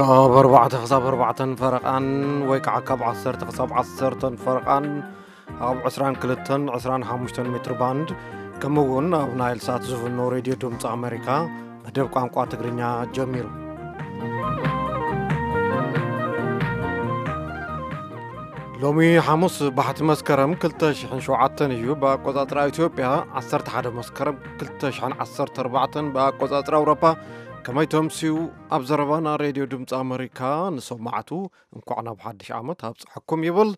ካብ ኣርባዕተ ክሳብ ኣርባዕተን ፈረቓን ወይ ከዓ ካብ ዓሰርተ ክሳብ ዓሰርተን ፈረቓን ኣብ ዕስራን ክልተን ዕስራን ሓሙሽተን ሜትር ባንድ፣ ከምኡ እውን ኣብ ናይል ሳት ዝፍኖ ሬድዮ ድምፂ ኣሜሪካ መደብ ቋንቋ ትግርኛ ጀሚሩ። ሎሚ ሓሙስ ባሕቲ መስከረም ክልተ ሽሕን ሸውዓተን እዩ ብኣቆጻጽራ ኢትዮጵያ፣ ዓሰርተ ሓደ መስከረም ክልተ ሽሕን ዓሰርተ ኣርባዕተን ብኣቆጻጽራ ኣውሮፓ። ከመይ ተምስዩ? ኣብ ዘረባና ሬድዮ ድምፂ ኣመሪካ ንሰማዕቱ እንኳዕ ናብ ሓድሽ ዓመት ኣብፅሐኩም ይብል።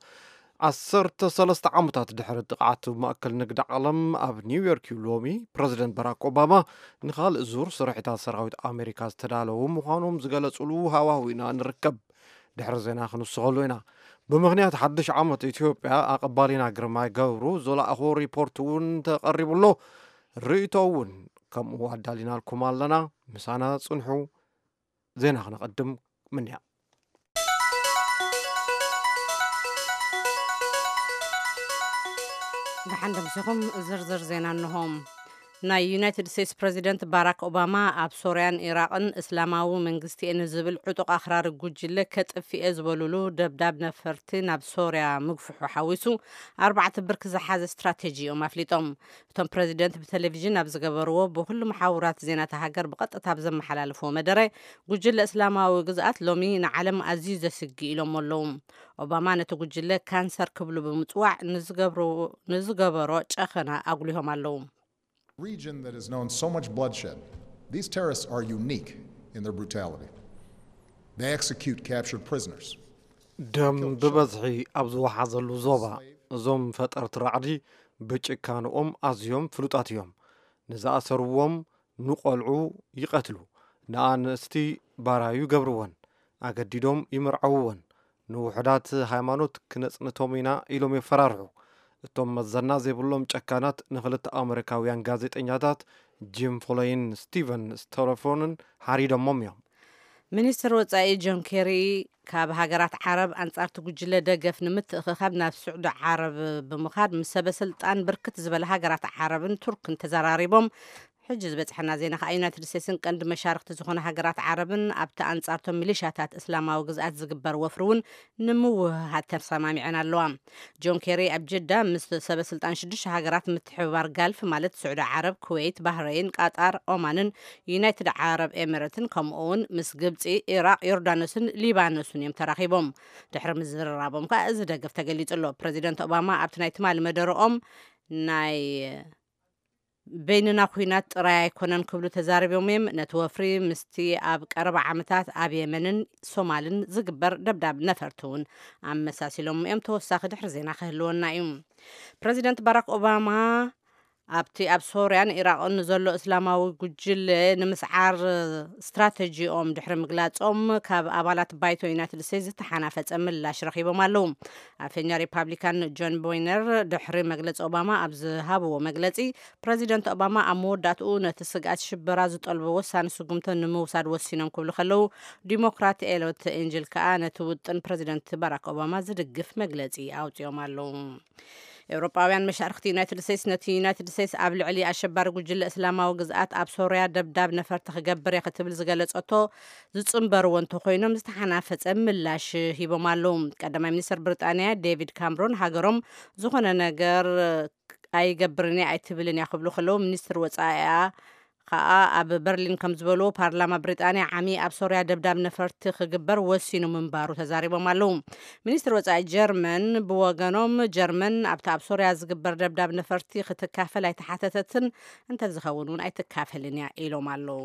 ዓሰርተ ሰለስተ ዓመታት ድሕሪ ጥቕዓት ማእከል ንግዲ ዓለም ኣብ ኒውዮርክ እዩ ሎሚ ፕረዚደንት ባራክ ኦባማ ንኻልእ ዙር ስርሒታት ሰራዊት ኣሜሪካ ዝተዳለዉ ምዃኖም ዝገለጹሉ ሃዋህው ኢና ንርከብ። ድሕሪ ዜና ክንስኸሉ ኢና። ብምኽንያት ሓድሽ ዓመት ኢትዮጵያ ኣቐባሊና ግርማይ ገብሩ ዝለኣኾ ሪፖርት እውን ተቐሪቡ ኣሎ። ርእይቶ እውን ከምኡ ኣዳሊናልኩም ኣለና። ምሳና ጽንሑ። ዜና ክነቐድም ምንያ። ደሓን ደምሲኹም። ዝርዝር ዜና እንሆ። ናይ ዩናይትድ ስቴትስ ፕረዚደንት ባራክ ኦባማ ኣብ ሶርያን ኢራቕን እስላማዊ መንግስቲ እየ ንዝብል ዕጡቕ ኣኽራሪ ጉጅለ ከጥፍእ እየ ዝበሉሉ ደብዳብ ነፈርቲ ናብ ሶርያ ምግፍሑ ሓዊሱ ኣርባዕተ ብርኪ ዝሓዘ ስትራቴጂ እዮም ኣፍሊጦም። እቶም ፕረዚደንት ብቴሌቪዥን ኣብ ዝገበርዎ ብኩሉ መሓውራት ዜና እታ ሃገር ብቐጥታ ኣብ ዘመሓላለፍዎ መደረ፣ ጉጅለ እስላማዊ ግዝኣት ሎሚ ንዓለም ኣዝዩ ዘስግእ ኢሎሞ ኣለዉ። ኦባማ ነቲ ጉጅለ ካንሰር ክብሉ ብምጽዋዕ ንዝገብሮ-፣ ንዝገበሮ ጨኸና ኣጉሊሆም ኣለዉ። Region that has known so much bloodshed. These terrorists are unique in their brutality. They execute captured prisoners. ደም ብበዝሒ ኣብ ዝወሓዘሉ ዞባ፣ እዞም ፈጠርቲ ራዕዲ ብጭካንኦም ኣዝዮም ፍሉጣት እዮም። ንዝኣሰርዎም ንቖልዑ ይቐትሉ፣ ንኣንስቲ ባራዩ ይገብርወን፣ ኣገዲዶም ይምርዐውወን፣ ንውሑዳት ሃይማኖት ክነጽንቶም ኢና ኢሎም የፈራርሑ። እቶም መዘና ዘይብሎም ጨካናት ንኽልተ ኣመሪካውያን ጋዜጠኛታት ጂም ፎለይን ስቲቨን ስቶለፎንን ሓሪዶሞም እዮም። ሚኒስትር ወጻኢ ጆን ኬሪ ካብ ሃገራት ዓረብ ኣንጻርቲ ጉጅለ ደገፍ ንምትእኽኻብ ናብ ስዑዲ ዓረብ ብምኻድ ምስ ሰበ ስልጣን ብርክት ዝበለ ሃገራት ዓረብን ቱርክን ተዘራሪቦም። ሕጂ ዝበጽሐና ዜና ከኣ ዩናይትድ ስቴትስን ቀንዲ መሻርክቲ ዝኾነ ሃገራት ዓረብን ኣብቲ ኣንጻርቶም ሚሊሻታት እስላማዊ ግዝኣት ዝግበር ወፍሪ እውን ንምውህሃድ ተሰማሚዐን ኣለዋ። ጆን ኬሪ ኣብ ጅዳ ምስ ሰበ ስልጣን ሽዱሽተ ሃገራት ምትሕብባር ጋልፍ ማለት ስዑዲ ዓረብ፣ ኩዌት፣ ባህረይን፣ ቃጣር፣ ኦማንን ዩናይትድ ዓረብ ኤሚሬትን ከምኡ እውን ምስ ግብጺ፣ ኢራቕ፣ ዮርዳኖስን ሊባኖስን እዮም ተራኺቦም። ድሕሪ ምዝርራቦም ከኣ እዚ ደገፍ ተገሊጹ ኣሎ። ፕረዚደንት ኦባማ ኣብቲ ናይ ትማሊ መደረኦም ናይ በይንና ኩናት ጥራይ ኣይኮነን ክብሉ ተዛሪቦም እዮም። ነቲ ወፍሪ ምስቲ ኣብ ቀረባ ዓመታት ኣብ የመንን ሶማልን ዝግበር ደብዳብ ነፈርቲ እውን ኣመሳሲሎም እዮም። ተወሳኺ ድሕሪ ዜና ክህልወና እዩ። ፕረዚደንት ባራክ ኦባማ ኣብቲ ኣብ ሶርያን ኢራቕን ንዘሎ እስላማዊ ጉጅለ ንምስዓር ስትራተጂኦም ድሕሪ ምግላጾም ካብ ኣባላት ባይቶ ዩናይትድ ስቴትስ ዝተሓናፈጸ ምላሽ ረኺቦም ኣለዉ። ኣፈኛ ሪፓብሊካን ጆን ቦይነር ድሕሪ መግለጺ ኦባማ ኣብ ዝሃብዎ መግለጺ፣ ፕረዚደንት ኦባማ ኣብ መወዳእትኡ ነቲ ስግኣት ሽበራ ዝጠልቦ ወሳኒ ስጉምቶ ንምውሳድ ወሲኖም ክብሉ ከለዉ፣ ዲሞክራት ኤሎት ኤንጅል ከኣ ነቲ ውጥን ፕረዚደንት ባራክ ኦባማ ዝድግፍ መግለጺ ኣውጺኦም ኣለዉ። ኤውሮጳውያን መሻርክቲ ዩናይትድ ስቴትስ ነቲ ዩናይትድ ስቴትስ ኣብ ልዕሊ ኣሸባሪ ጉጅለ እስላማዊ ግዝኣት ኣብ ሶርያ ደብዳብ ነፈርቲ ክገብር እየ ክትብል ዝገለጸቶ ዝጽንበርዎ እንተኮይኖም ዝተሓናፈጸ ምላሽ ሂቦም ኣለዉ። ቀዳማይ ሚኒስትር ብሪጣንያ ዴቪድ ካምሮን ሃገሮም ዝኾነ ነገር ኣይገብርን እያ ኣይትብልን እያ ክብሉ ከለዉ፣ ሚኒስትር ወጻኢኣ ከኣ ኣብ በርሊን ከም ዝበልዎ ፓርላማ ብሪጣንያ ዓሚ ኣብ ሶርያ ደብዳብ ነፈርቲ ክግበር ወሲኑ ምንባሩ ተዛሪቦም ኣለዉ። ሚኒስትር ወጻኢ ጀርመን ብወገኖም ጀርመን ኣብቲ ኣብ ሶርያ ዝግበር ደብዳብ ነፈርቲ ክትካፈል ኣይተሓተተትን፣ እንተዝኸውን እውን ኣይትካፈልን እያ ኢሎም ኣለዉ።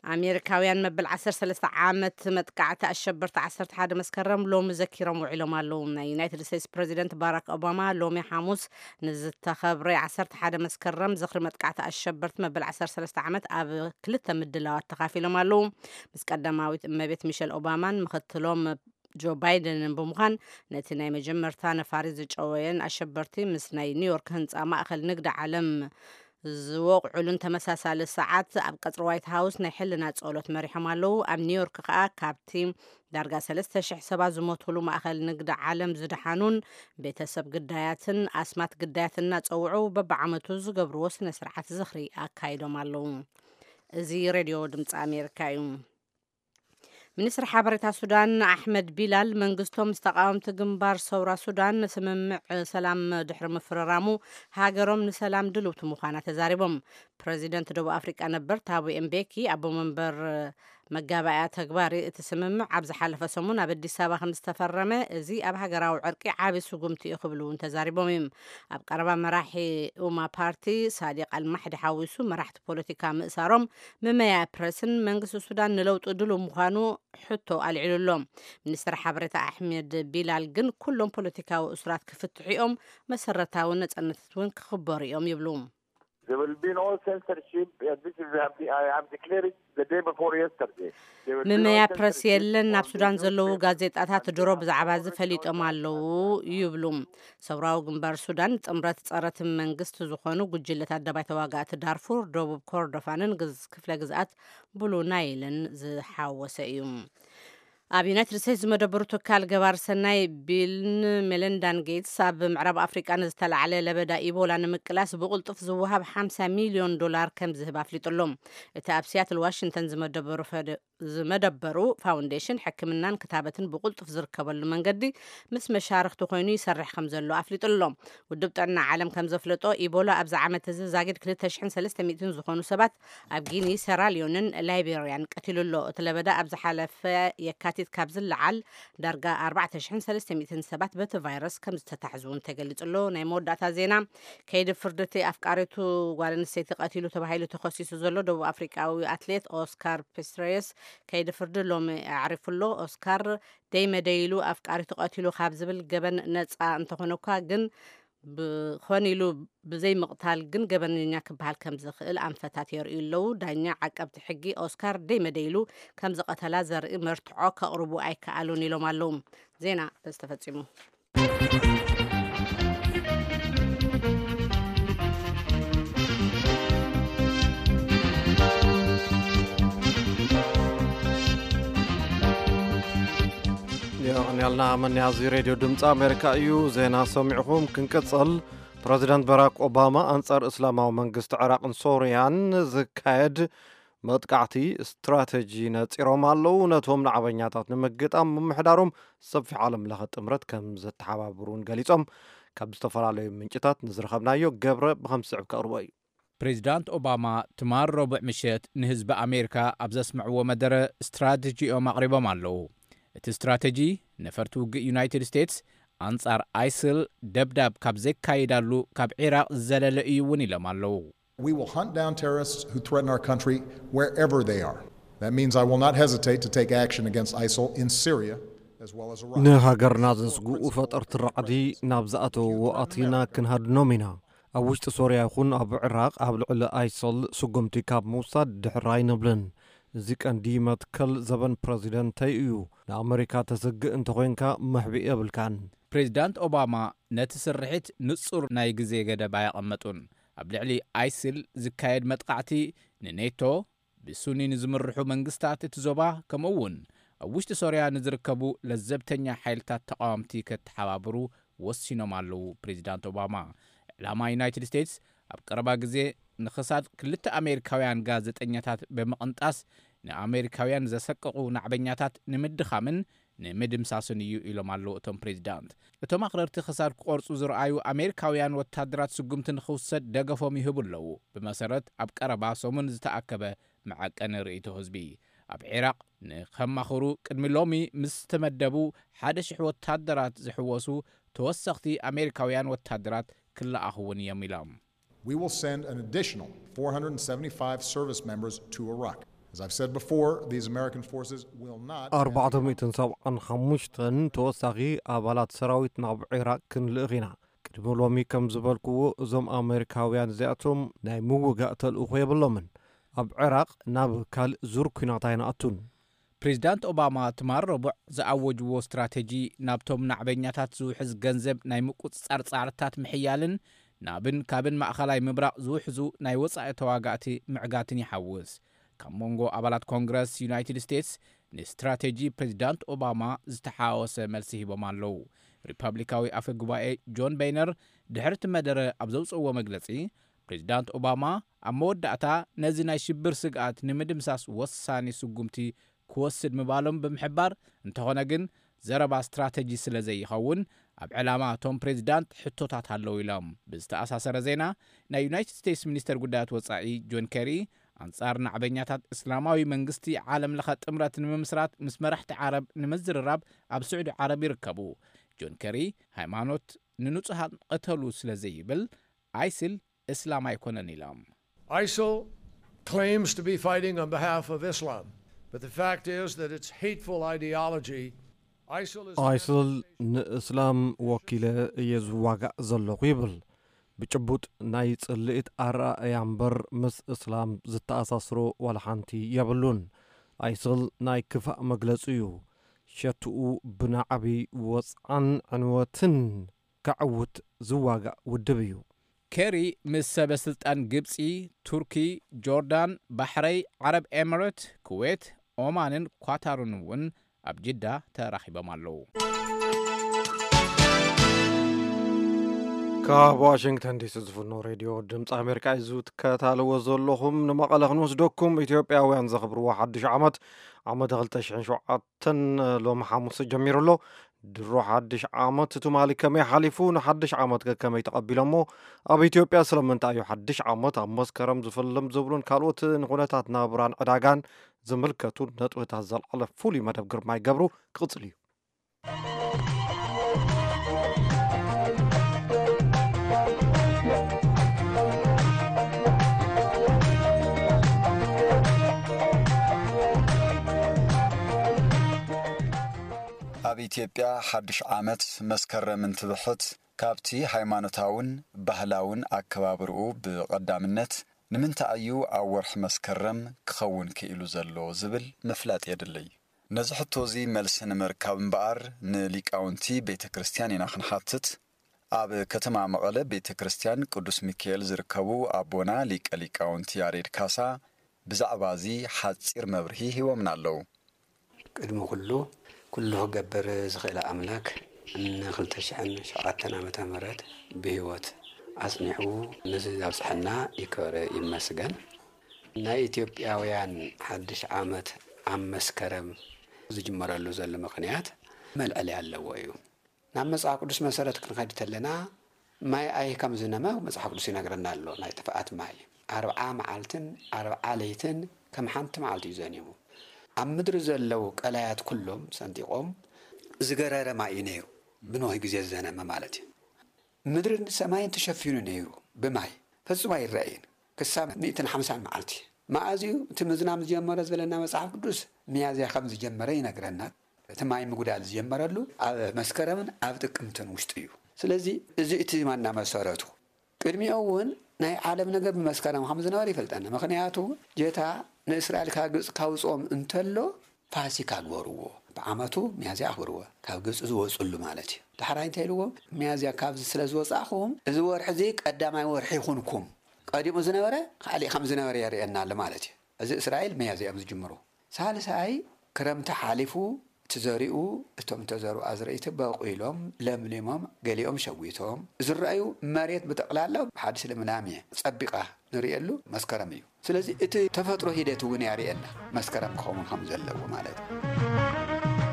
ኣሜሪካውያን መበል ዓሰርተ ሰለስተ ዓመት መጥቃዕቲ ኣሸበርቲ ዓሰርተ ሓደ መስከረም ሎሚ ዘኪሮም ውዒሎም ኣለዉ። ናይ ዩናይትድ ስቴትስ ፕረዚደንት ባራክ ኦባማ ሎሚ ሓሙስ ንዝተኸብረ ዓሰርተ ሓደ መስከረም ዝኽሪ መጥቃዕቲ ኣሸበርቲ መበል ዓሰርተ ሰለስተ ዓመት ኣብ ክልተ ምድላዋት ተኻፊሎም ኣለዉ። ምስ ቀዳማዊት እመቤት ሚሸል ኦባማን ምኽትሎም ጆ ባይደንን ብምዃን ነቲ ናይ መጀመርታ ነፋሪት ዝጨወየን ኣሸበርቲ ምስ ናይ ኒውዮርክ ህንፃ ማእኸል ንግዲ ዓለም ዝወቕዑሉን ተመሳሳሊ ሰዓት ኣብ ቀፅሪ ዋይት ሃውስ ናይ ሕልና ጸሎት መሪሖም ኣለዉ። ኣብ ኒውዮርክ ከኣ ካብቲ ዳርጋ ሰለስተ ሽሕ ሰባት ዝሞቱሉ ማእኸል ንግዲ ዓለም ዝደሓኑን ቤተሰብ ግዳያትን ኣስማት ግዳያትን እናጸውዑ በብዓመቱ ዝገብርዎ ስነ ስርዓት ዝኽሪ ኣካይዶም ኣለዉ። እዚ ሬድዮ ድምፂ ኣሜሪካ እዩ። ሚኒስትሪ ሓበሬታ ሱዳን ኣሕመድ ቢላል፣ መንግስቶም ምስ ተቃወምቲ ግንባር ሰውራ ሱዳን ስምምዕ ሰላም ድሕሪ ምፍርራሙ፣ ሃገሮም ንሰላም ድልውቲ ምዃና ተዛሪቦም። ፕረዚደንት ደቡብ ኣፍሪቃ ነበር ታቡ ኤምቤኪ፣ ኣቦ መንበር መጋባእያ ተግባሪ እቲ ስምምዕ ኣብ ዝሓለፈ ሰሙን ኣብ ኣዲስ ኣበባ ከም ዝተፈረመ፣ እዚ ኣብ ሃገራዊ ዕርቂ ዓቢ ስጉምቲ እዩ ክብሉ እውን ተዛሪቦም እዮም። ኣብ ቀረባ መራሒ ኡማ ፓርቲ ሳዲቅ ኣልማሕዲ ሓዊሱ መራሕቲ ፖለቲካ ምእሳሮም፣ መመያ ፕረስን መንግስቲ ሱዳን ንለውጢ ድሉው ምዃኑ ሕቶ ኣልዒሉ ኣሎ። ሚኒስትር ሓበሬታ ኣሕመድ ቢላል ግን፣ ኩሎም ፖለቲካዊ እሱራት ክፍትሑ እዮም፣ መሰረታዊ ነጻነታት እውን ክኽበሩ እዮም ይብሉ። There will be no censorship. Uh, this is, I have, I have declared it the day before yesterday. There will be no ምመያ ፕረስ censorship የለን። ኣብ on ሱዳን the ዘለዉ newspaper ጋዜጣታት and ድሮ the ብዛዕባ እዚ ፈሊጦም ኣለዉ ይብሉ። ሰውራዊ ግንባር ሱዳን ጥምረት ጸረ እቲ መንግስቲ ዝኾኑ ጉጅለታት ደባይ ተዋጋእቲ ዳርፉር፣ ደቡብ ኮርዶፋንን ግዝ-፣ ክፍለ ግዝኣት ብሉ ናይልን ዝሓወሰ እዩ። ኣብ ዩናይትድ ስቴትስ ዝመደበሩ ትካል ገባር ሰናይ ቢልን ሜለንዳን ጌትስ፣ ኣብ ምዕራብ ኣፍሪቃ ንዝተላዕለ ለበዳ ኢቦላ ንምቅላስ ብቕልጡፍ ዝወሃብ ሓምሳ ሚልዮን ዶላር ከም ዝህብ ኣፍሊጡ ኣሎ። እቲ ኣብ ሲያትል ዋሽንግተን ዝመደበሩ ፈደ-፣ ዝመደበሩ ፋውንዴሽን ሕክምናን ክታበትን ብቕልጡፍ ዝርከበሉ መንገዲ ምስ መሻርኽቲ ኮይኑ ይሰርሕ ከም ዘሎ ኣፍሊጡ ኣሎ። ውድብ ጥዕና ዓለም ከም ዘፍለጦ፣ ኢቦላ ኣብዚ ዓመት እዚ ዛጊድ ክልተ ሽሕን ሰለስተ ሚእትን ዝኾኑ ሰባት ኣብ ጊኒ፣ ሴራልዮንን ላይቤርያን ቀቲሉ ኣሎ። እቲ ለበዳ ኣብ ዝሓለፈ የካቲት ካብ ዝለዓል ዳርጋ ኣርባዕተ ሽሕን ሰለስተ ሚእትን ሰባት በቲ ቫይረስ ከም ዝተታሕዙ እውን ተገሊጹ ኣሎ። ናይ መወዳእታ ዜና፣ ከይዲ ፍርዲ እቲ ኣፍቃሪቱ ጓል ኣንስተይቲ ቀቲሉ ተባሂሉ ተኸሲሱ ዘሎ ደቡብ ኣፍሪቃዊ ኣትሌት ኦስካር ፒስትሬየስ ከይዲ ፍርዲ ሎሚ ኣዕሪፉ ኣሎ። ኦስካር ደይ መደይ ኢሉ ኣፍቃሪቱ ቀቲሉ ካብ ዝብል ገበን ነጻ እንተኾነ እኳ ግን ብኾን ኢሉ ብዘይ ምቕታል ግን ገበነኛ ክበሃል ከም ዝኽእል ኣንፈታት የርእዩ ኣለዉ። ዳኛ ዓቀብቲ ሕጊ ኦስካር ደይ መደይ ኢሉ ከም ዝቐተላ ዘርኢ መርትዖ ከቕርቡ ኣይከኣሉን ኢሎም ኣለዉ። ዜና በዚ ተፈጺሙ። የቐንያልና መን ያዚ ሬድዮ ድምፂ ኣሜሪካ እዩ። ዜና ሰሚዕኹም ክንቅፅል። ፕረዚደንት በራክ ኦባማ ኣንጻር እስላማዊ መንግስቲ ዕራቕን ሶርያን ዝካየድ መጥቃዕቲ ስትራተጂ ነጺሮም ኣለዉ። ነቶም ናዕበኛታት ንምግጣም ምምሕዳሮም ሰፊሕ ዓለም ለኸ ጥምረት ከም ዘተሓባብሩን ገሊጾም። ካብ ዝተፈላለዩ ምንጭታት ንዝረኸብናዮ ገብረ ብኸም ዝስዕብ ከቕርቦ እዩ። ፕሬዚዳንት ኦባማ ትማል ረቡዕ ምሸት ንህዝቢ ኣሜሪካ ኣብ ዘስምዕዎ መደረ ስትራተጂኦም ኣቕሪቦም ኣለዉ። እቲ ስትራተጂ ነፈርቲ ውግእ ዩናይትድ ስቴትስ ኣንጻር ኣይስል ደብዳብ ካብ ዘካይዳሉ ካብ ዒራቕ ዝዘለለ እዩ እውን ኢሎም ኣለዉ። We will hunt down terrorists who threaten our country wherever they are. That means I will not hesitate to take action against ISIL in Syria as well as Iraq. ንሃገርና ዘስግኡ ፈጠርቲ ራዕዲ ናብ ዝኣተውዎ ኣቲና ክንሃድኖም ኢና። ኣብ ውሽጢ ሶርያ ይኹን ኣብ ዕራቕ ኣብ ልዕሊ ኣይሰል ስጉምቲ ካብ ምውሳድ ድሕር ኣይንብልን። እዚ ቀንዲ መትከል ዘበን ፕረዚደንተይ እዩ። ንኣመሪካ ተስግእ እንተኾይንካ መሕብኢ የብልካን። ፕሬዚዳንት ኦባማ ነቲ ስርሒት ንጹር ናይ ግዜ ገደብ ኣየቐመጡን። ኣብ ልዕሊ ኣይስል ዝካየድ መጥቃዕቲ ንኔቶ፣ ብሱኒ ንዝምርሑ መንግስታት እቲ ዞባ፣ ከምኡ እውን ኣብ ውሽጢ ሶርያ ንዝርከቡ ለዘብተኛ ሓይልታት ተቓወምቲ ከተሓባብሩ ወሲኖም ኣለዉ። ፕሬዚዳንት ኦባማ፣ ዕላማ ዩናይትድ ስቴትስ ኣብ ቀረባ ግዜ ንኽሳድ ክልተ ኣሜሪካውያን ጋዜጠኛታት ብምቕንጣስ ንኣሜሪካውያን ዘሰቀቑ ናዕበኛታት ንምድኻምን ንምድምሳስን እዩ ኢሎም ኣለዉ እቶም ፕሬዚዳንት። እቶም ኣኽረርቲ ክሳድ ክቆርጹ ዝረኣዩ ኣሜሪካውያን ወታደራት ስጉምቲ ንኽውሰድ ደገፎም ይህቡ ኣለዉ። ብመሰረት ኣብ ቀረባ ሰሙን ዝተኣከበ መዐቀኒ ርእይቶ ህዝቢ፣ ኣብ ዒራቕ ንኸማኽሩ ቅድሚ ሎሚ ምስ ዝተመደቡ ሓደ ሽሕ ወታደራት ዝሕወሱ ተወሰኽቲ ኣሜሪካውያን ወታደራት ክለኣኹ እውን እዮም ኢሎም። We will send an additional four hundred seventy-five service members to Iraq. As I've said before, these American forces will not end. ኣርባዕተ ሚእትን ሰብዓን ሓሙሽተን ተወሳኺ ኣባላት ሰራዊት ናብ ዒራቕ ክንልእኽ ኢና። ቅድሚ ሎሚ ከም ዝበልክዎ፣ እዞም ኣሜሪካውያን እዚኣቶም ናይ ምውጋእ ተልእኾ የብሎምን። ኣብ ዒራቕ ናብ ካልእ ዙር ኲናት ኣይንኣቱን። ፕሬዚዳንት ኦባማ ትማል ረቡዕ ዝኣወጅዎ ስትራተጂ፣ ናብቶም ናዕበኛታት ዝውሕዝ ገንዘብ ናይ ምቁጽጻር ጻዕርታት ምሕያልን ናብን ካብን ማእኸላይ ምብራቕ ዝውሕዙ ናይ ወጻኢ ተዋጋእቲ ምዕጋትን ይሓውስ። ካብ መንጎ ኣባላት ኮንግረስ ዩናይትድ ስቴትስ ንስትራተጂ ፕሬዚዳንት ኦባማ ዝተሓዋወሰ መልሲ ሂቦም ኣለዉ። ሪፐብሊካዊ ኣፈ ጉባኤ ጆን በይነር ድሕሪ እቲ መደረ ኣብ ዘውፅእዎ መግለፂ፣ ፕሬዚዳንት ኦባማ ኣብ መወዳእታ ነዚ ናይ ሽብር ስግኣት ንምድምሳስ ወሳኒ ስጉምቲ ክወስድ ምባሎም ብምሕባር፣ እንተኾነ ግን ዘረባ ስትራተጂ ስለ ዘይኸውን ኣብ ዕላማ እቶም ፕሬዚዳንት ሕቶታት ኣለዉ ኢሎም። ብዝተኣሳሰረ ዜና፣ ናይ ዩናይትድ ስቴትስ ሚኒስተር ጉዳያት ወጻኢ ጆን ኬሪ፣ ኣንጻር ናዕበኛታት እስላማዊ መንግስቲ ዓለም ለኸ ጥምረት ንምምስራት ምስ መራሕቲ ዓረብ ንምዝርራብ ኣብ ስዑዲ ዓረብ ይርከቡ። ጆን ኬሪ፣ ሃይማኖት ንንጹሃን ቅተሉ ስለ ዘይብል፣ ኣይስል እስላም ኣይኮነን ኢሎም። ISIL claims to be fighting on behalf of Islam, but the fact is that its hateful ideology. ISIL is. ኣይስል ንእስላም ወኪለ እየ ዝዋጋእ ዘለኹ ይብል። ብጭቡጥ ናይ ጽልኢት ኣረኣእያ እምበር ምስ እስላም ዝተኣሳስሮ ዋላ ሓንቲ የብሉን። ኣይስል ናይ ክፋእ መግለጺ እዩ። ሸትኡ ብናዕቢ ወጽዓን ዕንወትን ከዕውት ዝዋጋእ ውድብ እዩ። ኬሪ ምስ ሰበ ስልጣን ግብጺ፣ ቱርኪ፣ ጆርዳን፣ ባሕረይ፣ ዓረብ ኤምሬት፣ ኩዌት፣ ኦማንን ኳታርን እውን ኣብ ጅዳ ተራኺቦም ኣለዉ። ካብ ዋሽንግተን ዲሲ ዝፍኖ ሬድዮ ድምፂ ኣሜሪካ እዩ ዝትከታተልዎ ዘለኹም። ንመቐለ ክንወስደኩም። ኢትዮጵያውያን ዘኽብርዎ ሓድሽ ዓመት ዓመተ ክልተ ሽሕን ሸውዓተን ሎሚ ሓሙስ ጀሚሩ ኣሎ። ድሮ ሓድሽ ዓመት ትማሊ ከመይ ሓሊፉ፣ ንሓድሽ ዓመት ከ ከመይ ተቐቢሎሞ፣ ኣብ ኢትዮጵያ ስለምንታይ እዩ ሓድሽ ዓመት ኣብ መስከረም ዝፍልም ዝብሉን ካልኦት ንኩነታት ናብራን ዕዳጋን ዝምልከቱ ነጥብታት ዘልዓለ ፍሉይ መደብ ግርማይ ገብሩ ክቕጽል እዩ። ኣብ ኢትዮጵያ ሓድሽ ዓመት መስከረም እንትብሕት ካብቲ ሃይማኖታውን ባህላውን ኣከባብርኡ ብቐዳምነት ንምንታይ እዩ ኣብ ወርሒ መስከረም ክኸውን ክኢሉ ዘሎ ዝብል ምፍላጥ የድልይ። ነዚ ሕቶ እዚ መልሲ ንምርካብ እምበኣር ንሊቃውንቲ ቤተ ክርስቲያን ኢና ክንሓትት። ኣብ ከተማ መቐለ ቤተ ክርስቲያን ቅዱስ ሚካኤል ዝርከቡ ኣቦና ሊቀ ሊቃውንቲ ያሬድ ካሳ ብዛዕባ እዚ ሓጺር መብርሂ ሂቦምና ኣለዉ። ቅድሚ ኩሉ ኩሉ ክገብር ዝኽእል ኣምላክ ንክልተ ሽሕን ሸውዓተን ዓመተ ምህረት ብህይወት ኣጽኒሑ ነዚ ኣብጽሐና ይክበር ይመስገን። ናይ ኢትዮጵያውያን ሓድሽ ዓመት ኣብ መስከረም ዝጅመረሉ ዘሎ ምኽንያት መልዕሊ ኣለዎ እዩ። ናብ መጽሓፍ ቅዱስ መሰረት ክንኸድ ተለና ማይ ኣይ ከም ዝነመ መጽሓፍ ቅዱስ ይነግረና ኣሎ። ናይ ጥፍኣት ማይ ኣርብዓ መዓልትን ኣርብዓ ለይትን ከም ሓንቲ መዓልቲ እዩ ዘኒሙ። ኣብ ምድሪ ዘለዉ ቀላያት ኩሎም ሰንጢቖም ዝገረረ ማይ እዩ ነይሩ። ብኖህ ግዜ ዝዘነመ ማለት እዩ። ምድርን ሰማይን ተሸፊኑ ነይሩ ብማይ፣ ፈጺሙ ኣይረኣይን ክሳብ ሚእትን ሓምሳን መዓልቲ። መኣዝዩ እቲ ምዝናም ዝጀመረ ዝበለና መጽሓፍ ቅዱስ ሚያዝያ ከም ዝጀመረ ይነግረና። እቲ ማይ ምጉዳል ዝጀመረሉ ኣብ መስከረምን ኣብ ጥቅምትን ውሽጢ እዩ። ስለዚ እዚ እቲ ማና መሰረቱ። ቅድሚኡ እውን ናይ ዓለም ነገር ብመስከረም ከም ዝነበረ ይፈልጠና። ምኽንያቱ ጌታ ንእስራኤል ካብ ግብፂ ካውፅኦም እንተሎ ፋሲካ ግበርዎ፣ ብዓመቱ ሚያዝያ ኣኽብርዎ፣ ካብ ግብፂ ዝወፅሉ ማለት እዩ። ዳሕራይ እንታይ ኢልዎም? ሚያዝያ ካብዚ ስለ ዝወፃእኹም እዚ ወርሒ እዚ ቀዳማይ ወርሒ ይኹንኩም። ቀዲሙ ዝነበረ ካሊእ ከም ዝነበረ የርእየና ኣሎ ማለት እዩ። እዚ እስራኤል ሚያዝያ እዮም ዝጅምሩ። ሳልሳይ ክረምቲ ሓሊፉ እቲ ዘሪኡ፣ እቶም ተዘሩ ኣዝርእቲ በቑሎም ለምሊሞም፣ ገሊኦም ሸዊቶም ዝረኣዩ መሬት ብጠቕላላ ብሓድሽ ልምላሜ ጸቢቓ ንርእየሉ መስከረም እዩ። ስለዚ እቲ ተፈጥሮ ሂደት እውን ያርእየና መስከረም ክኸውን ከም ዘለዎ ማለት እዩ።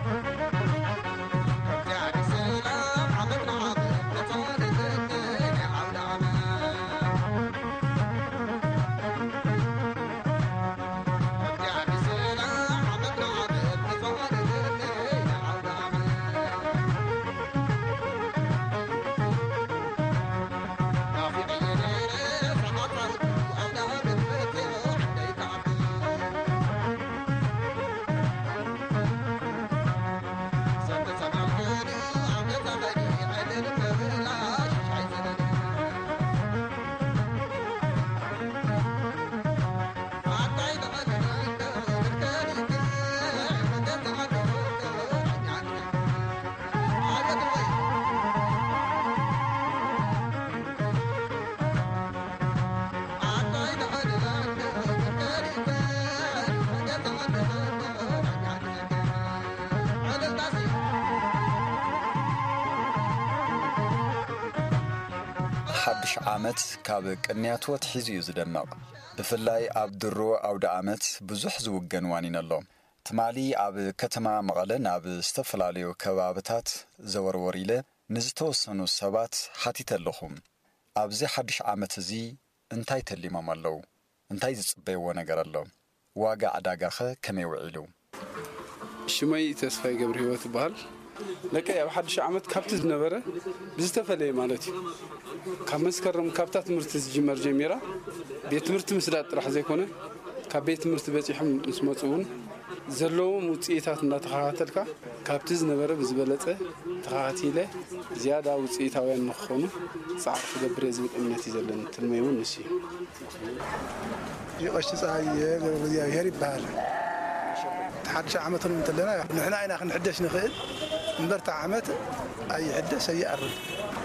ሓድሽ ዓመት ካብ ቅንያቱ ኣትሒዙ እዩ ዝደምቕ። ብፍላይ ኣብ ድሮ ኣውደ ዓመት ብዙሕ ዝውገን ዋኒን ኣሎ። ትማሊ ኣብ ከተማ መቐለ ናብ ዝተፈላለዩ ከባብታት ዘወርወር ኢለ ንዝተወሰኑ ሰባት ሓቲተ ኣለኹ። ኣብዚ ሓድሽ ዓመት እዚ እንታይ ተሊሞም ኣለዉ? እንታይ ዝጽበይዎ ነገር ኣሎ? ዋጋ ዕዳጋኸ ከመይ ውዒሉ? ሽመይ ተስፋይ ገብረ ህይወት ይበሃል። ደቀይ ኣብ ሓድሽ ዓመት ካብቲ ዝነበረ ብዝተፈለየ ማለት እዩ። ካብ መስከረም ካብታ ትምህርቲ ዝጅመር ጀሚራ ቤት ትምህርቲ ምስዳድ ጥራሕ ዘይኮነ ካብ ቤት ትምህርቲ በጺሖም ምስ መጹ እውን ዘለዎም ውጽኢታት እንዳተኸታተልካ ካብቲ ዝነበረ ብዝበለጸ ተኸታቲለ ዝያዳ ውጽኢታውያን ንክኾኑ ጻዕሪ ክገብር እየ ዝብል እምነት እዩ ዘለኒ። ትልመይ እውን ንሱ እዩ። ይቐሺ ፀሃየ ገብረ እግዚኣብሔር ይበሃል። እቲ ሓድሽ ዓመት እውን እንተለና ንሕና ኢና ክንሕደሽ ንኽእል እምበር እቲ ዓመት ኣይሕደሽ ኣይኣርግ።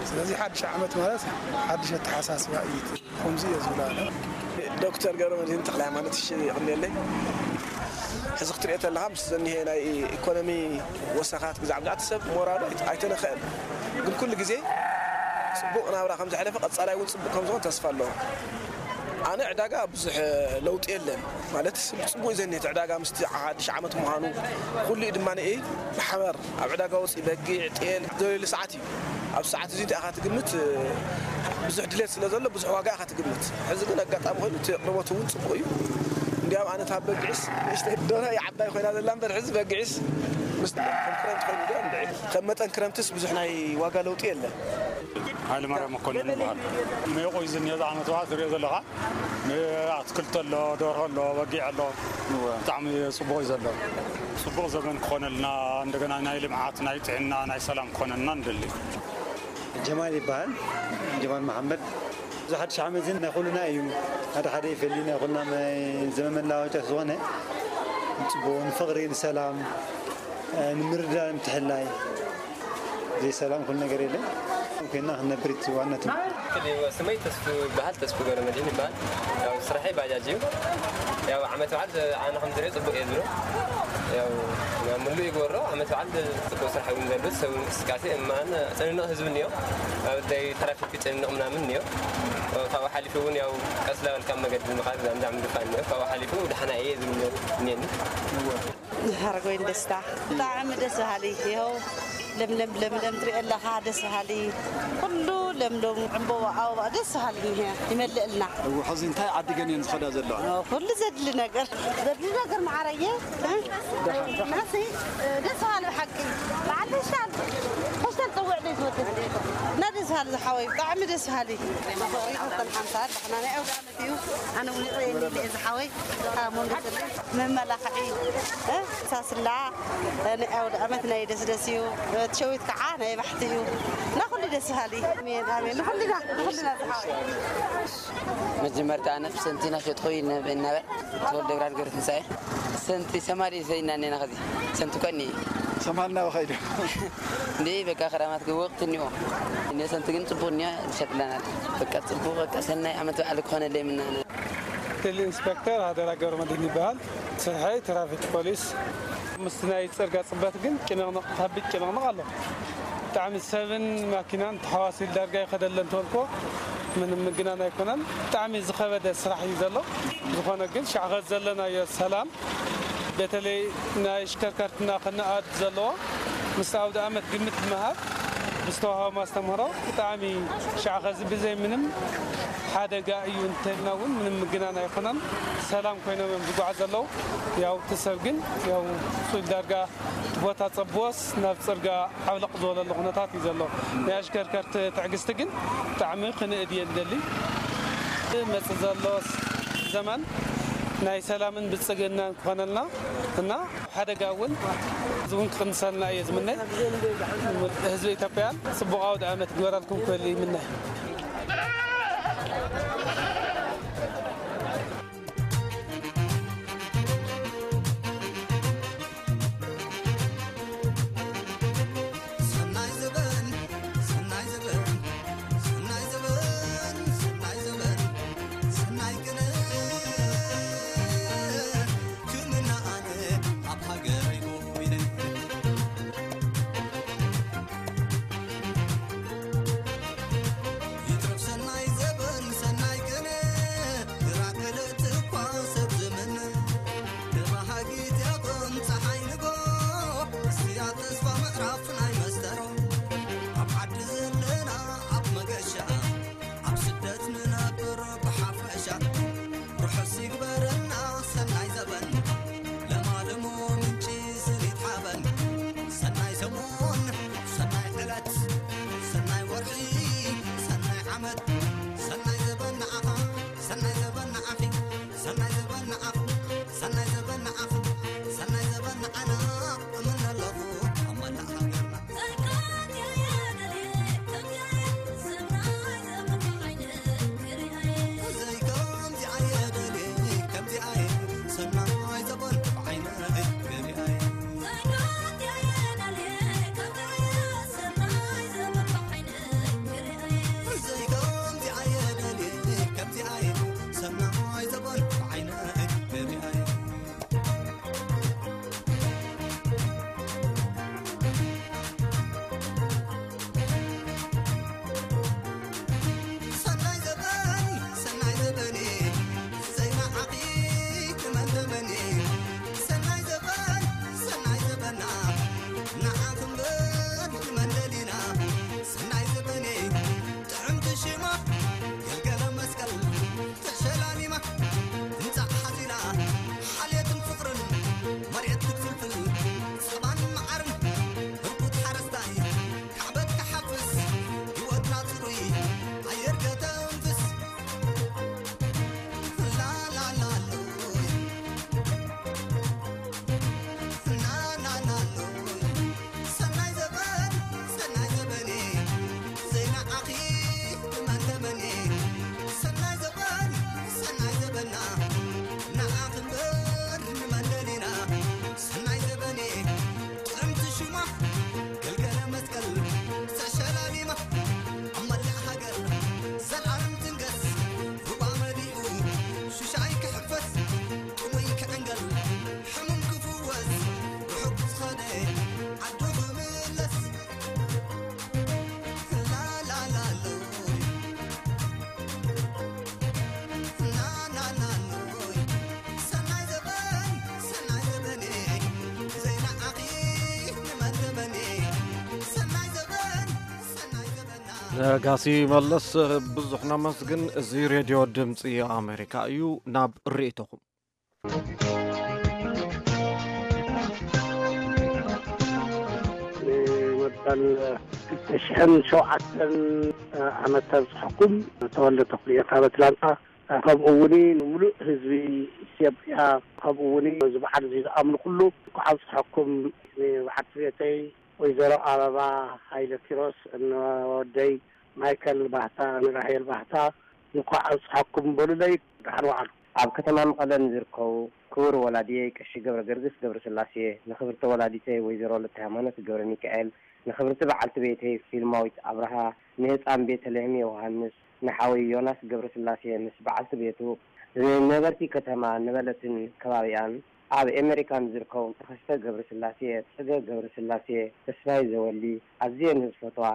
ስለዚ ሓድሽ ዓመት ማለት ሓድሽ ኣተሓሳስባ እዩ። ከምዚ እየ ዝብላ ኣነ። ዶክተር ገብረ መድህን ተኽለ ሃይማኖት፣ እሺ፣ ይቕንየለይ። ሕዚ ክትሪኦ ተለኻ ምስ ዘኒሄ ናይ ኢኮኖሚ ወሰኻት ብዛዕባ እቲ ሰብ ሞራሉ ኣይተ-፣ ኣይተነኽአን። ግን ኩሉ ግዜ ጽቡቕ ናብራ ከም ዘሕለፈ ቀጻላይ እውን ጽቡቕ ከም ዝኾን ተስፋ ኣለዎ። ኣነ ዕዳጋ ብዙሕ ለውጢ የለን ማለት ጽቡቕ እዩ ዘኒሄ እቲ ዕዳጋ ምስቲ ሓድሽ ዓመት ምዃኑ ኩሉ እዩ ድማ ንእይ ብሓበር ኣብ ዕዳጋ ወፂ በጊዕ ጤል ዘለሉ ሰዓት እዩ። ኣብ ሰዓት እዚ እንታይ ኢኻ ትግምት? ብዙሕ ድሌት ስለ ዘሎ ብዙሕ ዋጋ ኢኻ ትግምት። ሕዚ ግን ኣጋጣሚ ኮይኑ እቲ ኣቕርቦት እውን ጽቡቕ እዩ። እንዲያም ኣነ እታ በጊዕስ ንእሽተይ ደርሆ እያ ዓባይ ኮይና ዘላ እምበር ሕዚ በጊዕስ ምስ ከም ክረምቲ ኮይኑ ዶ እንድዒ። ከም መጠን ክረምትስ ብዙሕ ናይ ዋጋ ለውጢ የለን። ሃይለ ማርያም መኮንን ይበሃል። ሜቑ እዩ ዝኒሀ ዝዓመት በዓል ትሪኦ ዘለኻ። ኣትክልቲ ኣሎ፣ ደርሆ ኣሎ፣ በጊዕ ኣሎ። እወ። ብጣዕሚ ጽቡቕ እዩ ዘሎ። ጽቡቕ ዘመን ክኾነልና፣ እንደገና ናይ ልምዓት፣ ናይ ጥዕና፣ ናይ ሰላም ክኾነልና ንደሊ። ጀማል ይበሃል፣ ጀማል መሓመድ። እዚ ሓድሽ ዓመት እዚ ናይ ኩልና እዩ። ሓደ ሓደ ይፈሊ፣ ናይ ኩልና ናይ ዘመን መለዋወጫ ዝኾነ ጽቡቕ ንፍቕሪ፣ ንሰላም፣ ንምርዳእ፣ ምትሕልላይ። ዘይሰላም ኩሉ ነገር የለን። ኮይና ክንነብር እቲ ዋና ትምህርቲ። ስመይ ተስፉ ይበሃል፣ ተስፉ ገብረመድህን ይበሃል። ያው ስራሐይ ባጃጅ እዩ። ያው ዓመት በዓል ኣነ ከም ዝሪኦ ጽቡቕ እየ ዝብሎ። ያው ምሉእ ይገብሮ፣ ዓመት በዓል ጽቡቕ ስራሕ እውን ዘሎ፣ ሰብ እንቅስቃሴ እማን ጨንንቕ ህዝቢ እኒኦ። ኣብ ጉዳይ ትራፊክ ጨንንቕ ምናምን እኒኦ። ካብኡ ሓሊፉ እውን ያው ቀስ ላበልካ መገዲ ምኻድ ዛምዛም ድፋን እኒኦ። ካብኡ ሓሊፉ ደሓና እየ ዝብል እኒአኒ። ሓረጎይን ደስታ። ብጣዕሚ ደስ በሃሊ። ይኸው ለምለም ለምለም ትሪኦ ኣለኻ፣ ደስ በሃሊ። ኩሉ ለምለም፣ ዕምበባ፣ ኣበባ ደስ በሃሊ እኒሀ፣ ይመልእልና። እው፣ ሕዚ እንታይ ዓዲ ገን እየን ዝኸዳ ዘለዋ? ኦ፣ ኩሉ ዘድሊ ነገር፣ ዘድሊ ነገር መዓረየ። እ? ደሓን፣ ደሓን። ናሲ፣ እ፣ ደስ በሃሊ ብሓቂ። በዓል ፈሽታል፣ ፈሽታል ጸውዕ ደይ ዝወደድ። እና ደስ በሃሊ ዝሓወይ፣ ብጣዕሚ ደስ በሃሊ። ፍቕሪ ክልተን ሓምሳ፣ ደሕና ናይ ኣውደ እዩ። ኣነ እውን ይረኣየኒ ኢለ ዝሓወይ፣ ካብ መንጎ ዘለዉ መመላኽዒ፣ እ፣ ሳስላ፣ እ፣ ናይ ኣውደ ዓመት ናይ ደስደስ እዩ። እ፣ ትሸዊት ከዓ ናይ ባሕቲ እዩ። እና ኩሉ ደስ በሃሊ። ኣሜን፣ ኣሜን። ንኹልና፣ ንኹልና ዝሓወይ። መጀመርታ ኣነ ሰንቲ እናሸጥኹ ይነ-፣ እናበ-፣ ተወልደ ብርሃን ገብረትንሳኤ። ሰንቲ ሰማሊ ሰይና እኔና ኸዚ። ሰንቲ እኮ እኒ። ሰማልና በኸይዱ። እንዴ በቃ ክራማት ወቕቲ እኒኦ። እኔ ሰንቲ ግን ጽቡቕ እኒኦ ይሸጥላናል። በቃ ጽቡቕ፣ በቃ ሰናይ ዓመት በዓል ክኾነለይ ምናነ። ክልል ኢንስፔክተር ሃደራ ገብረመድህን ይበሃል። ስርሐይ ትራፊክ ፖሊስ። ምስቲ ናይ ጽርጋ ጽበት ግን ጭንቕንቕ፣ ከቢድ ጭንቕንቕ ኣሎ። ብጣዕሚ ሰብን ማኪናን ተሓዋሲሉ ዳርጋ ይኸደለን ተበልኮ ምንም ምግናን ኣይኮነን። ብጣዕሚ ዝኸበደ ስራሕ እዩ ዘሎ። ዝኾነ ግን ሻዕኸት ዘለናዮ ሰላም፣ በተለይ ናይ ኣሽከርከርትና ክነኣድ ዘለዎ ምስ ኣውደ ዓመት ግምት ብምሃብ ብዝተዋህቦም ኣስተምህሮ ብጣዕሚ ሻዕኸዚ ብዘይ ምንም ሓደጋ እዩ እንተልና እውን ምንም ምግናን ኣይኮነን። ሰላም ኮይኖም እዮም ዝጓዓዙ ዘለዉ። ያው እቲ ሰብ ግን ያው ሱል ዳርጋ እቲ ቦታ ጸብዎስ ናብ ጽርጋ ዓብለቕ ዝበለሉ ኩነታት እዩ ዘሎ። ናይ ኣሽከርከርቲ ትዕግስቲ ግን ብጣዕሚ ክንእድ እየ ንደሊ። መጽእ ዘሎ ዘመን ናይ ሰላምን ብልጽግናን ክኾነልና እና ሓደጋ እውን እዚ እውን ክቕንሰልና እየ ዝምነ። ህዝቢ ኢትዮጵያን ጽቡቕ ኣውደ ዓመት ግበረልኩም ክብል ይምነ። ሰናይ ዘበን፣ ሰናይ ዘበን፣ ሰናይ ዘበን፣ ሰናይ ዘበን፣ ሰናይ ቅነ፣ ክምና ኣነ ኣብ ሃገረይ ኮይነ። ይትረፍ ሰናይ ዘበን፣ ሰናይ ቅነ፣ ራከለት እኳ ሰብ ዘመን፣ ተባሃጊት ያቆም ነጋሲ መለስ፣ ብዙሕ ነመስግን። እዚ ሬድዮ ድምፂ ኣሜሪካ እዩ። ናብ ርእይቶኹም። ንመበል ክልተ ሽሕን ሸውዓተን ዓመት ተብፅሐኩም። ተወልደ ተኽልየ ካብ ኣትላንታ። ከምኡ እውን ንምሉእ ህዝቢ ኢትዮጵያ፣ ከምኡ እውን እዚ በዓል እዚ ዝኣምኑ ኩሉ እንኳዕ ኣብፅሐኩም። ንበዓልቲ ቤተይ ወይዘሮ ኣበባ ሃይለ ኪሮስ፣ ንወደይ ማይከል ባህታ፣ ንራሄል ባህታ፣ እንኳዕ ኣብፅሐኩም በሉለይ። ደሓን ዋዕሉ። ኣብ ከተማ መቐለ ንዝርከቡ ክቡር ወላዲየይ ቀሺ ገብረ ገርግስ ገብረስላሴ፣ ንክብርቲ ወላዲተይ ወይዘሮ ለተ ሃይማኖት ገብረ ሚካኤል፣ ንክብርቲ በዓልቲ ቤተይ ፊልማዊት ኣብርሃ፣ ንህፃን ቤተልሔም ዮሃንስ፣ ንሓወይ ዮናስ ገብረስላሴ ምስ በዓልቲ ቤቱ፣ ንነበርቲ ከተማ ነበለትን ከባቢኣን፣ ኣብ ኤመሪካ ንዝርከቡ ተኸስተ ገብረስላሴ፣ ፅገ ገብረስላሴ፣ ተስፋይ ዘወሊ፣ ኣዝየ ንዝፈትዋ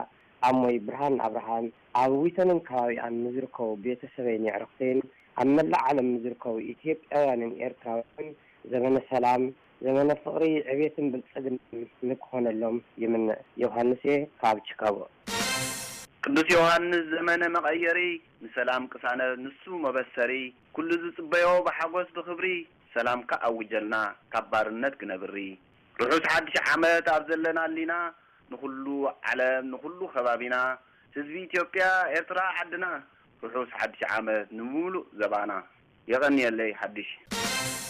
ኣሞይ ብርሃን ኣብርሃን፣ ኣብ ዊተንን ከባቢኣን ንዝርከቡ ቤተሰበይን የዕርኽተይን፣ ኣብ መላእ ዓለም ንዝርከቡ ኢትዮጵያውያንን ኤርትራውያንን ዘመነ ሰላም፣ ዘመነ ፍቕሪ፣ ዕቤትን ብልጽግናን ንክኾነሎም ይምነ። ዮሃንስ እየ ካብ ቺካጎ። ቅዱስ ዮሃንስ ዘመነ መቐየሪ፣ ንሰላም ቅሳነት ንሱ መበሰሪ፣ ኩሉ ዝጽበዮ ብሓጎስ ብኽብሪ፣ ሰላምካ ኣውጀልና ካብ ባርነት ክነብሪ። ርሑስ ሓድሽ ዓመት ኣብ ዘለና ኣሊና፣ ንኹሉ ዓለም ንኹሉ ከባቢና፣ ህዝቢ ኢትዮጵያ ኤርትራ ዓድና፣ ርሑስ ሓድሽ ዓመት ንምሉእ ዘባና። የቐንየለይ ሓድሽ።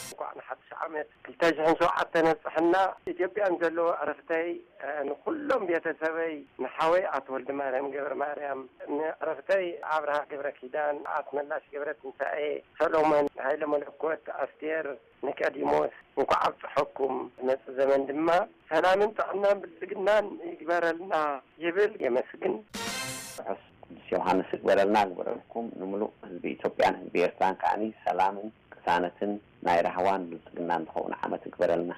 እንኳዕ ንሓድሽ ዓመት ክልተ ሽሕን ሸውዓተን ኣብፀሐና። ኢትዮጵያን ዘለዎ ዕረፍተይ፣ እ፣ ንኩሎም ቤተሰበይ፣ ንሓወይ ኣቶ ወልደ ማርያም ገብረ ማርያም፣ ንዕረፍተይ ኣብርሃ ገብረ ኪዳን፣ ኣስመላሽ ገብረ ትንሳኤ፣ ሰሎሞን ሃይለ መለኮት፣ ኣስቴር ኒቆዲሞስ፣ እንኳዕ ኣብፀሐኩም። መፂ ዘመን ድማ ሰላምን ጥዕናን ብልፅግናን ይግበረልና ይብል። የመስግን። ርሑስ ቅዱስ ዮሃንስ ይግበረልና፣ ይግበረልኩም። ንምሉእ ህዝቢ ኢትዮጵያን ህዝቢ ኤርትራን ከዓኒ ሰላምን ቅሳነትን ናይ ራህዋን ብልጽግናን ዝኸውን ዓመት ይግበረልና።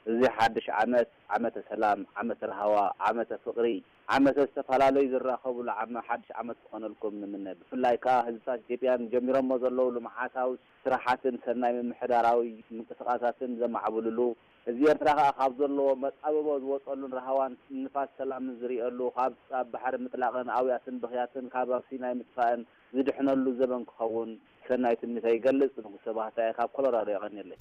እዚ ሓድሽ ዓመት ዓመተ ሰላም፣ ዓመተ ራህዋ፣ ዓመተ ፍቕሪ፣ ዓመተ ዝተፈላለዩ ዝራኸቡሉ ዓመ-፣ ሓድሽ ዓመት ክኾነልኩም ንምነ። ብፍላይ ከኣ ህዝብታት ኢትዮጵያን ጀሚሮሞ ዘለዉ ልምዓታዊ ስራሓትን ሰናይ ምምሕዳራዊ ምንቅስቓሳትን ዘማዕብልሉ፣ ህዝቢ ኤርትራ ከኣ ካብ ዘለዎ መጻብቦ ዝወጸሉን ራህዋን ንፋስ ሰላምን ዝርእየሉ፣ ካብ ጻብ ባሕሪ ምጥላቕን ኣውያትን ብኽያትን ካብ ኣብ ሲናይ ምጥፋእን ዝድሕነሉ ዘበን ክኸውን ሰናይ ትምኒተይ ይገልጽ። ንጉሰ ባህታየ ካብ ኮሎራዶ የቐንየለይ።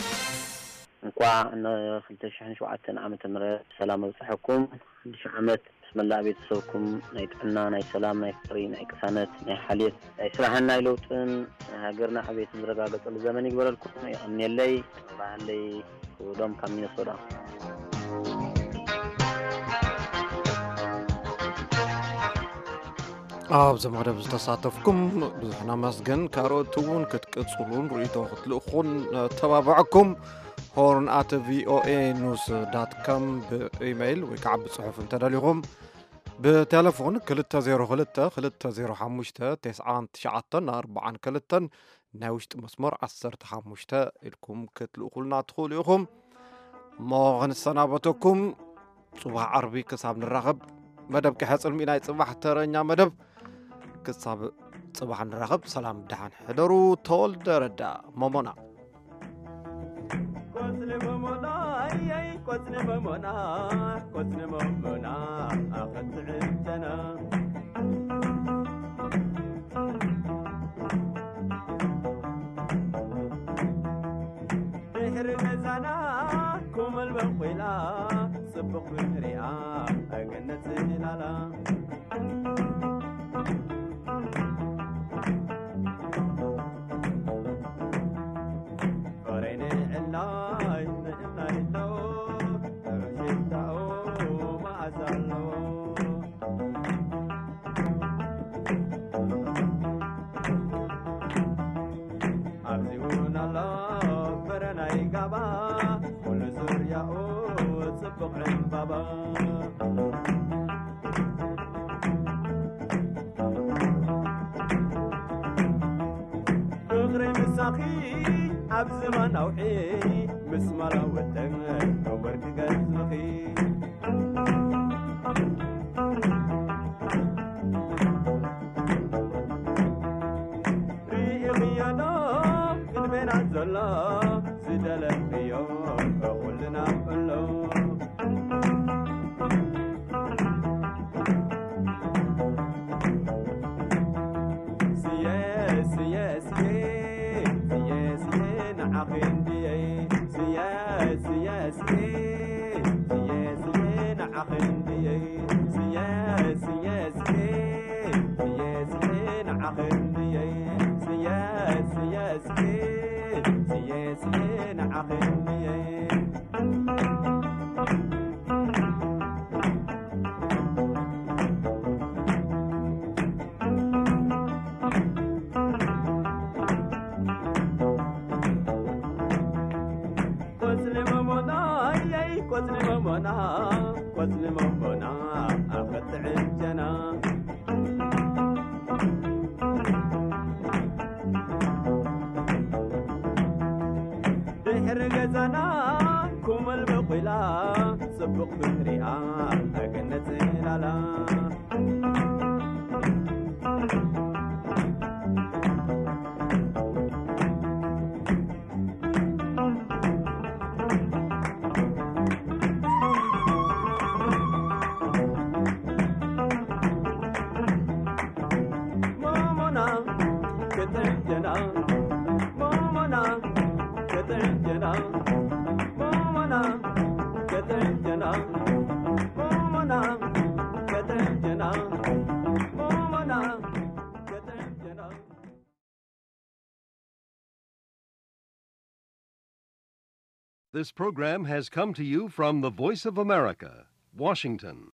እንኳዕ ን ክልተ ሽሕን ሸውዓተን ዓመተ ምህረት ብሰላም ኣብጽሐኩም። ሓድሽ ዓመት ምስ መላእ ቤተሰብኩም ናይ ጥዕና፣ ናይ ሰላም፣ ናይ ፍቕሪ፣ ናይ ቅሳነት፣ ናይ ሓልዮት፣ ናይ ስራሕን ናይ ለውጥን፣ ናይ ሃገርና ዕቤትን ዝረጋገጸሉ ዘመን ይግበረልኩም። የቐንየለይ። ባህለይ ክብዶም ካብ ሚነሶታ። ኣብዚ መደብ ዝተሳተፍኩም ብዙሕ ነመስግን። ካልኦት እውን ክትቅጽሉን ርእይቶ ክትልእኹን ነተባብዐኩም። ሆርን ኣት ቪኦኤ ኒውስ ዳት ኮም ብኢሜይል ወይ ከዓ ብጽሑፍ እንተደሊኹም፣ ብቴሌፎን ክልተ ዜሮ ክልተ ክልተ ዜሮ ሓሙሽተ ተስዓን ትሽዓተን ኣርባዓን ክልተን ናይ ውሽጢ መስመር ዓሰርተ ሓሙሽተ ኢልኩም ክትልእኹልና ትኽእሉ ኢኹም። እሞ ክንሰናበተኩም፣ ጽባሕ ዓርቢ ክሳብ ንራኸብ፣ መደብ ክሕጽልሚ ናይ ጽባሕ ተረኛ መደብ። ክሳብ ጽባሕ ንራኸብ፣ ሰላም ደሓን ሕደሩ። ተወልደ ረዳ፣ ሞሞና። ቆጽሊ ሞሞና፣ ኣየይ ቆጽሊ ሞሞና፣ ቆጽሊ ሞሞና፣ ኣኸትዕተና። ድሕሪ ገዛና ኮመል በቂላ፣ ጽቡቕ ብንሪኣ፣ ገነት ጽላላ። ፍሬ ንዕላይ ንዕላይ ኣሎ፣ ጥዑም ሽታኡ መዓዛ ኣለዎ። ኣብዚ እውን ኣሎ ፍረ ናይ ጋባ፣ ኩሉ ዙርያኡ ጽቡቕ ዕምባባ። ፍቕሪ ምሳኺ ኣብ ዝማን ኣውሒ፣ ምስ ማላወተን ወርቂ ገጽኺ። ርኢኽዮ ዶ ቅድሜና ዘሎ፣ ዝደለኽዮ ኩልና ኣሎ። ክንድየይ ስየ ስየ ስየ ስየ ስየ ንዓኺ እንድየይ ስየ ስየ ስየ ስየ ስየ ንዓኺ እንድየይ ስየ ስየ ስየ ስየ ስየ ንዓኺ እንድየይ ቆጽሊ መሞና የይ ቆጽሊ መሞና ቆጽሊ መሞና ኣፈትዕጀና ድሕሪ ገዛና ኩምል በቑላ ጽቡቕ ፍሪኣ ኣገነት ላላ ሞሞና ክጥዕም ጀና ሞሞና ክጥዕም ጀና ሞሞና ክጥዕም ጀና ሞሞና ክጥዕም ጀና ሞሞና ክጥዕም ጀና This program has come to you from the Voice of America, Washington.